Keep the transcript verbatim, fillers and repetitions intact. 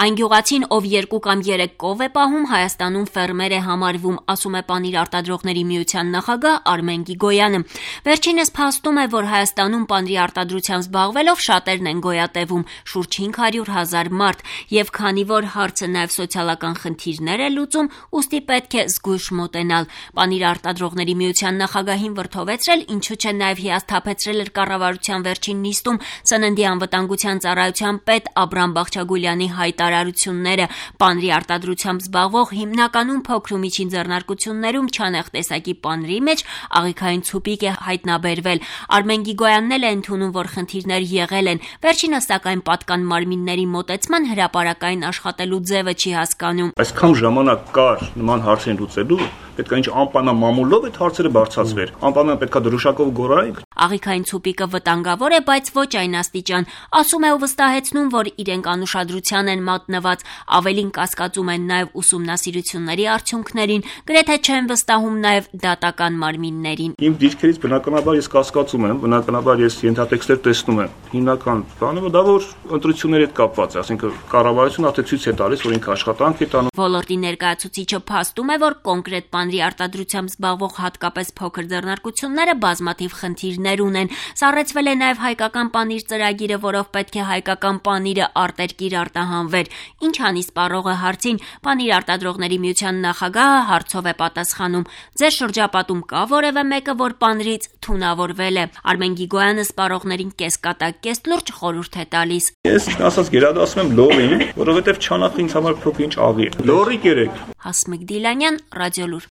Այն գյուղացին, ով երկու կամ երեք կով է պահում, Հայաստանում ֆերմեր է համարվում, ասում է Պանիր արտադրողների միության նախագահ Արմեն Գիգոյանը։ Վերջինս փաստում է, որ Հայաստանում պանիրի արտադրությամբ զբաղվելով շատերն են գոյատևում, շուրջ հինգ հարյուր հազար մարդ, եւ քանի որ հարցը նաեւ սոցիալական խնդիրներ է լուծում, ուստի պետք է զգույշ մոտենալ։ Պանիր արտադրողների միության նախագահին վրդովեցրել, ինչու չէ նաեւ հիասթափեցրել էր կառավարության վերջին նիստում Սննդի անվտանգության ծառայության պետ Աբրամ Բաղչագուլյանի հայտարարությունները։ Պանիրի արտադրությամբ զբաղվող հիմնականում փոքր ու միջին ձեռնարկություններում չանեղ տեսակի պանիրի մեջ աղիքային ցուպիկ է հայտնաբերվել։ Արմեն Գիգոյանն էլ է ընդունում, որ խնդիրներ եղել են։ Վերջինս սակայն պատկան մարմինների մոտեցման հրապարակային աշխատելու ձևը չի հասկանում։ Այսքան ժամանակ կար նման հարցեր լուծելու, պետք է ինչ անպայման այդ հարցերը բարձրացվեր։ Անպայման պետքա դրոշակով գորայինք։ Աղիքային ցուպիկը վտանգավոր է, բայց ոչ այն աստիճան։ Ասում է ու վստահեցնում, որ իրենք անուշադրության են մատնված, ավելին կասկածում են նաև ուսումնասիրությունների արդյունքներին, գրեթե չեն վստահում նաև դատական մարմիններին։ Իմ դիրքերից բնականաբար ես կասկածում եմ, բնականաբար ես ենթատեքստեր տեսնում եմ։ Հիմնական բանը դա որ ընտրությունների հետ կապված է, ասենք կառավարությունը արդեն ցույց է տալիս, որ ինքը աշխատանք է տանում։ Ոլորտի ներկայացուցիչը փաստում է, որ կոնկրետ պանիրի արտադրությամբ զբաղվող հատկապես փոքր ձեռնարկությունները բազմաթիվ խնդիրներ ունեն։ Սառեցվել է նաև հայկական պանիր ծրագիրը, որով պետք է հայկական պանիրը արտերկիր արտահանվեր։ Ինչ անի սպառողը հարցին, Պանիր արտադրողների միության նախագահը հարցով է պատասխանում. Ձեր շրջապատում կա որևէ մեկը, որ պանիրից թունավորվել է։ Արմեն Գիգոյանը սպառողներին կեսկատակ կես լուրջ խորհուրդ է տալիս։ Ես ասած գերադասում եմ լորին, որովհետև չանախ ինձ համար փոքր ինչ աղի է։ Լորի կերեք։ Հասմիկ Դիլանյան, Ռադիոլուր։